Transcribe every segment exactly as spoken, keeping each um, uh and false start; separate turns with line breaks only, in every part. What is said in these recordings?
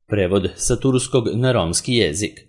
Prevod sa turskog na romski jezik.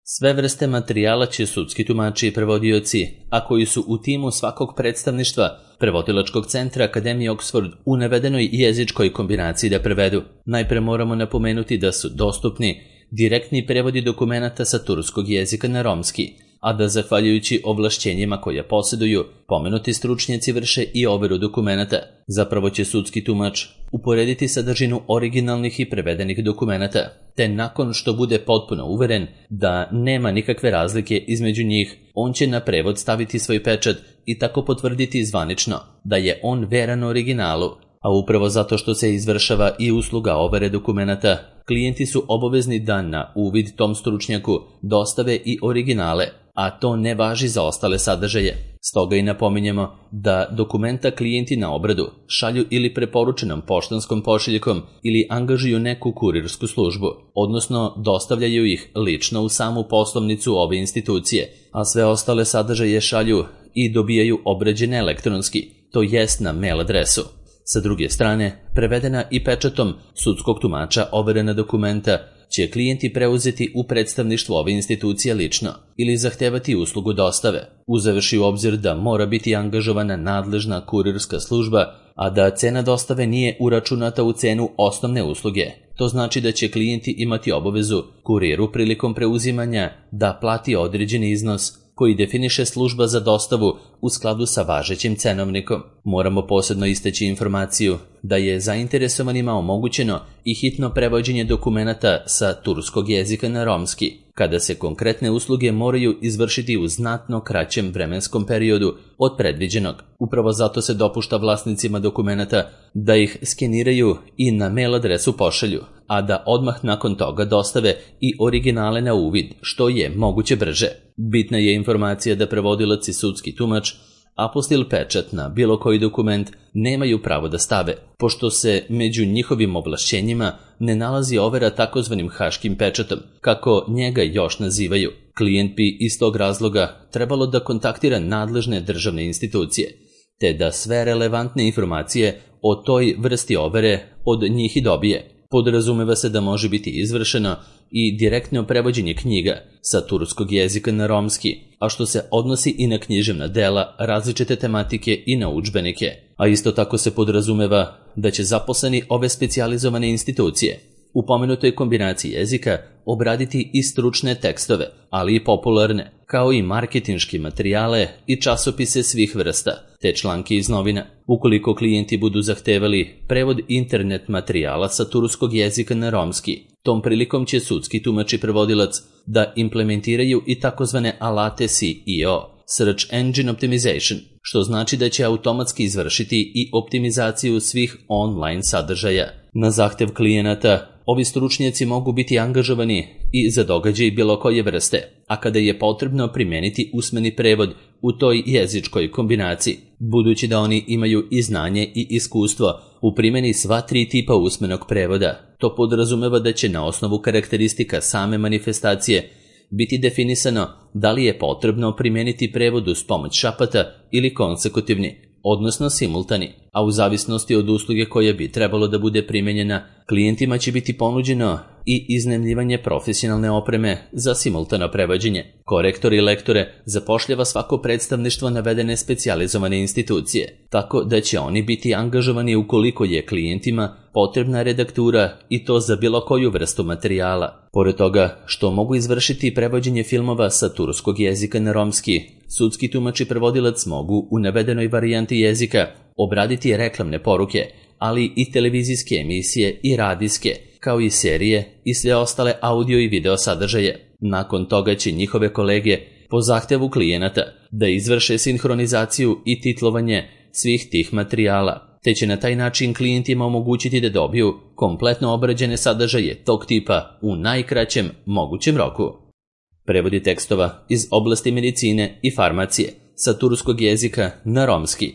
Sve vrste materijala će sudski tumači i prevodioci, a koji su u timu svakog predstavništva Prevodilačkog centra Akademije Oxford u navedenoj jezičkoj kombinaciji da prevedu. Najpre moramo napomenuti da su dostupni direktni prevodi dokumenata sa turskog jezika na romski, a da zahvaljujući ovlašćenjima koje posjeduju, pomenuti stručnjaci vrše i overu dokumenata. Zapravo će sudski tumač uporediti sadržinu originalnih i prevedenih dokumenata, te nakon što bude potpuno uveren da nema nikakve razlike između njih, on će na prevod staviti svoj pečat i tako potvrditi zvanično da je on veran originalu. A upravo zato što se izvršava i usluga overe dokumenata, klijenti su obavezni da na uvid tom stručnjaku dostave i originale, a to ne važi za ostale sadržaje. Stoga i napominjemo da dokumenta klijenti na obradu šalju ili preporučenom poštanskom pošiljkom ili angažuju neku kurirsku službu, odnosno dostavljaju ih lično u samu poslovnicu ove institucije, a sve ostale sadržaje šalju i dobijaju obrađene elektronski, to jest na mail adresu. Sa druge strane, prevedena i pečatom sudskog tumača overena dokumenta će klijenti preuzeti u predstavništvu ove institucije lično ili zahtevati uslugu dostave, uzevši u obzir da mora biti angažovana nadležna kurirska služba, a da cena dostave nije uračunata u cenu osnovne usluge. To znači da će klijenti imati obavezu kuriru prilikom preuzimanja da plati određeni iznos koji definiše služba za dostavu u skladu sa važećim cenovnikom. Moramo posebno istaći informaciju da je zainteresovanima omogućeno i hitno prevođenje dokumenata sa turskog jezika na romski, kada se konkretne usluge moraju izvršiti u znatno kraćem vremenskom periodu od predviđenog. Upravo zato se dopušta vlasnicima dokumenata da ih skeniraju i na mail adresu pošalju, a da odmah nakon toga dostave i originale na uvid, što je moguće brže. Bitna je informacija da prevodilac i sudski tumač apostil pečat na bilo koji dokument nemaju pravo da stave, pošto se među njihovim ovlašćenjima ne nalazi overa takozvanim haškim pečatom, kako njega još nazivaju. Klijent bi iz tog razloga trebalo da kontaktira nadležne državne institucije, te da sve relevantne informacije o toj vrsti overe od njih i dobije. Podrazumeva se da može biti izvršeno i direktno prevođenje knjiga sa turskog jezika na romski, a što se odnosi i na književna dela, različite tematike i na udžbenike. A isto tako se podrazumeva da će zaposleni ove specijalizovane institucije u pomenutoj kombinaciji jezika obraditi i stručne tekstove, ali i popularne, kao i marketinške materijale i časopise svih vrsta, te članke iz novina. Ukoliko klijenti budu zahtevali prevod internet materijala sa turskog jezika na romski, tom prilikom će sudski tumač i prevodilac da implementiraju i takozvane alate S E O, Search Engine Optimization, što znači da će automatski izvršiti i optimizaciju svih online sadržaja. Na zahtev klijenata, ovi stručnjaci mogu biti angažovani i za događaj bilo koje vrste, a kada je potrebno primijeniti usmeni prevod u toj jezičkoj kombinaciji, budući da oni imaju i znanje i iskustvo u primjeni sva tri tipa usmenog prevoda. To podrazumeva da će na osnovu karakteristika same manifestacije biti definisano da li je potrebno primijeniti prevod uz pomoć šapata ili konsekutivni, odnosno simultani, a u zavisnosti od usluge koja bi trebalo da bude primijenjena, klijentima će biti ponuđeno i iznajmljivanje profesionalne opreme za simultano prevođenje. Korektor i lektore zapošljava svako predstavništvo navedene specijalizovane institucije, tako da će oni biti angažovani ukoliko je klijentima potrebna redaktura i to za bilo koju vrstu materijala. Pored toga što mogu izvršiti prevođenje filmova sa turskog jezika na romski, sudski tumač i prevodilac mogu u navedenoj varijanti jezika obraditi reklamne poruke, ali i televizijske emisije i radijske, kao i serije i sve ostale audio i video sadržaje. Nakon toga će njihove kolege po zahtevu klijenata da izvrše sinhronizaciju i titlovanje svih tih materijala, te će na taj način klijentima omogućiti da dobiju kompletno obrađene sadržaje tog tipa u najkraćem mogućem roku. Prevodi tekstova iz oblasti medicine i farmacije sa turskog jezika na romski.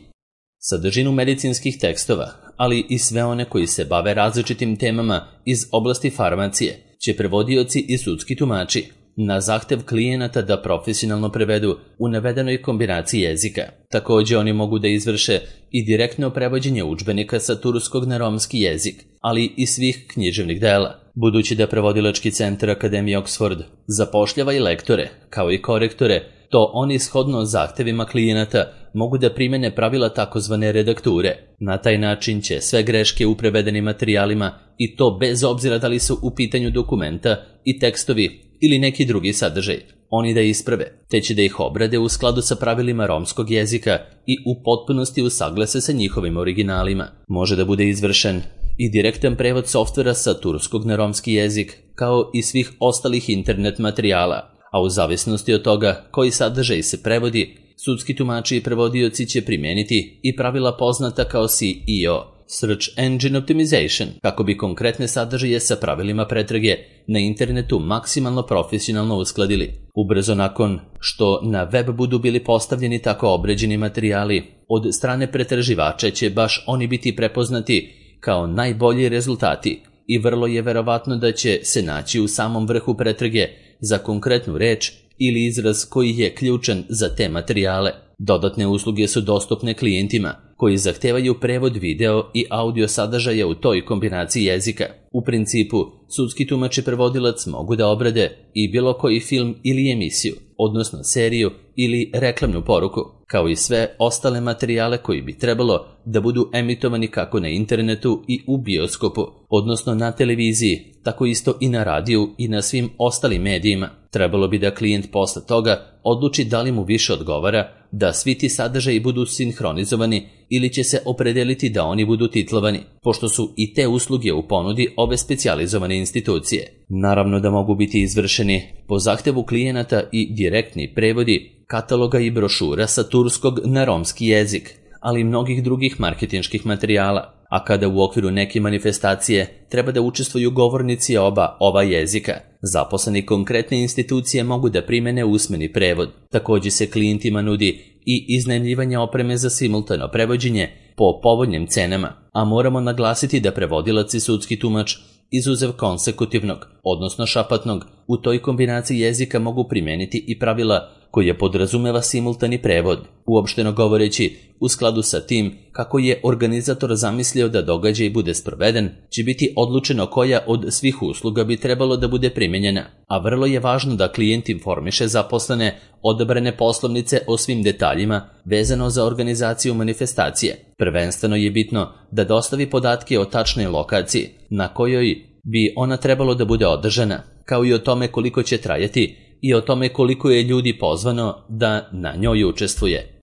Sadržinu medicinskih tekstova, ali i sve one koji se bave različitim temama iz oblasti farmacije, će prevodioci i sudski tumači na zahtev klijenata da profesionalno prevedu u navedenoj kombinaciji jezika. Također oni mogu da izvrše i direktno prevođenje udžbenika sa turskog na romski jezik, ali i svih književnih dela. Budući da prevodilački centar Akademije Oxford zapošljava i lektore, kao i korektore, to oni shodno zahtevima klijenata mogu da primene pravila takozvane redakture. Na taj način će sve greške u prevedenim materijalima, i to bez obzira da li su u pitanju dokumenta i tekstovi ili neki drugi sadržaj, oni da isprave, te će da ih obrade u skladu sa pravilima romskog jezika i u potpunosti usaglase sa njihovim originalima. Može da bude izvršen i direktan prevod softvera sa turskog na romski jezik, kao i svih ostalih internet materijala, a u zavisnosti od toga koji sadržaj se prevodi, sudski tumači i prevodioci će primeniti i pravila poznata kao S E O, Search Engine Optimization, kako bi konkretne sadržaje sa pravilima pretrage na internetu maksimalno profesionalno uskladili. Ubrzo nakon što na web budu bili postavljeni tako obređeni materijali, od strane pretraživača će baš oni biti prepoznati kao najbolji rezultati i vrlo je verovatno da će se naći u samom vrhu pretrage za konkretnu reč ili izraz koji je ključan za te materijale. Dodatne usluge su dostupne klijentima koji zahtevaju prevod video i audio sadržaja u toj kombinaciji jezika. U principu, sudski tumač i prevodilac mogu da obrade i bilo koji film ili emisiju, odnosno seriju ili reklamnu poruku, kao i sve ostale materijale koji bi trebalo da budu emitovani kako na internetu i u bioskopu, odnosno na televiziji, tako isto i na radiju i na svim ostalim medijima. Trebalo bi da klijent posle toga odluči da li mu više odgovara da svi ti sadržaji budu sinhronizovani ili će se opredeliti da oni budu titlovani, pošto su i te usluge u ponudi ove specijalizovane institucije. Naravno da mogu biti izvršeni po zahtevu klijenata i direktni prevodi kataloga i brošura sa turskog na romski jezik, ali i mnogih drugih marketinških materijala. A kada u okviru neke manifestacije treba da učestvuju govornici oba ova jezika, zaposleni konkretne institucije mogu da primene usmeni prevod. Također se klijentima nudi i iznajmljivanje opreme za simultano prevođenje po povoljnim cenama, a moramo naglasiti da prevodilac i sudski tumač izuzev konsekutivnog, odnosno šapatnog, u toj kombinaciji jezika mogu primeniti i pravila koje podrazumeva simultani prevod. Uopšteno govoreći, u skladu sa tim kako je organizator zamislio da događaj bude sproveden, će biti odlučeno koja od svih usluga bi trebalo da bude primenjena, a vrlo je važno da klijent informiše zaposlene odabrane poslovnice o svim detaljima vezano za organizaciju manifestacije. Prvenstveno je bitno da dostavi podatke o tačnoj lokaciji na kojoj bi ona trebalo da bude održana, kao i o tome koliko će trajati i o tome koliko je ljudi pozvano da na njoj učestvuje.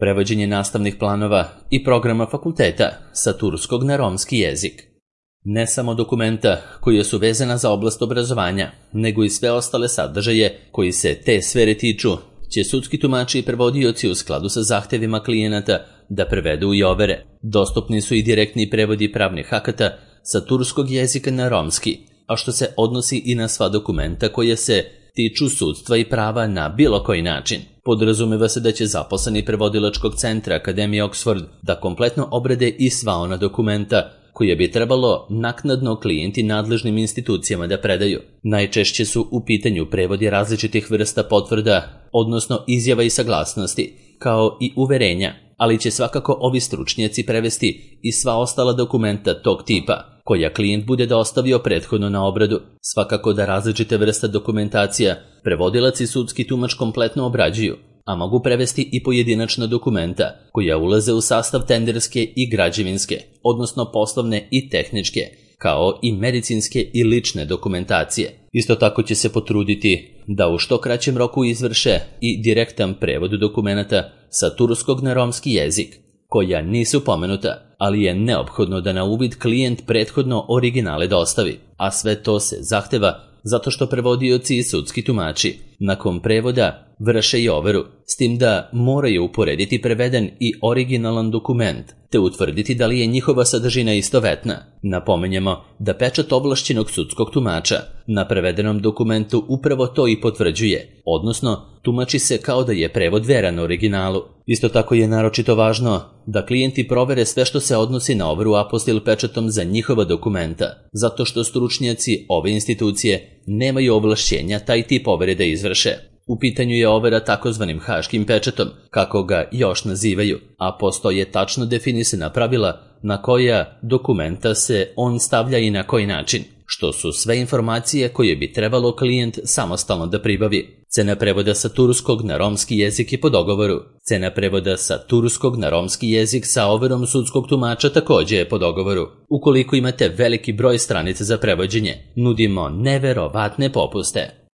Prevođenje nastavnih planova i programa fakulteta sa turskog na romski jezik. Ne samo dokumenta koje su vezana za oblast obrazovanja, nego i sve ostale sadržaje koji se te sfere tiču, će sudski tumači i prevodioci u skladu sa zahtevima klijenata da prevedu i overe. Dostupni su i direktni prevodi pravnih akata sa turskog jezika na romski, a što se odnosi i na sva dokumenta koje se tiču sudstva i prava na bilo koji način. Podrazumeva se da će zaposleni prevodilačkog centra Akademije Oxford da kompletno obrade i sva ona dokumenta koje bi trebalo naknadno klijenti nadležnim institucijama da predaju. Najčešće su u pitanju prevodi različitih vrsta potvrda, odnosno izjava i saglasnosti, kao i uverenja, ali će svakako ovi stručnjaci prevesti i sva ostala dokumenta tog tipa, koja klijent bude dostavio prethodno na obradu. Svakako da različite vrste dokumentacija prevodilac i sudski tumač kompletno obrađuju, a mogu prevesti i pojedinačna dokumenta koja ulaze u sastav tenderske i građevinske, odnosno poslovne i tehničke, kao i medicinske i lične dokumentacije. Isto tako će se potruditi da u što kraćem roku izvrše i direktan prevod dokumenta sa turskog na romski jezik, koja nisu pomenuta, ali je neophodno da na uvid klijent prethodno originale dostavi, a sve to se zahteva zato što prevodioci i sudski tumači nakon prevoda vrše i overu, s tim da moraju uporediti preveden i originalan dokument, te utvrditi da li je njihova sadržina istovetna. Napomenjemo da pečat ovlašćenog sudskog tumača na prevedenom dokumentu upravo to i potvrđuje, odnosno tumači se kao da je prevod veran originalu. Isto tako je naročito važno da klijenti provere sve što se odnosi na overu apostil pečatom za njihova dokumenta, zato što stručnjaci ove institucije nemaju ovlašćenja taj tip overe da izvrše. U pitanju je overa takozvanim haškim pečatom, kako ga još nazivaju, a postoje tačno definisana pravila na koja dokumenta se on stavlja i na koji način, što su sve informacije koje bi trebalo klijent samostalno da pribavi. Cena prevoda sa turskog na romski jezik je po dogovoru. Cena prevoda sa turskog na romski jezik sa overom sudskog tumača također je po dogovoru. Ukoliko imate veliki broj stranica za prevođenje, nudimo neverovatne popuste.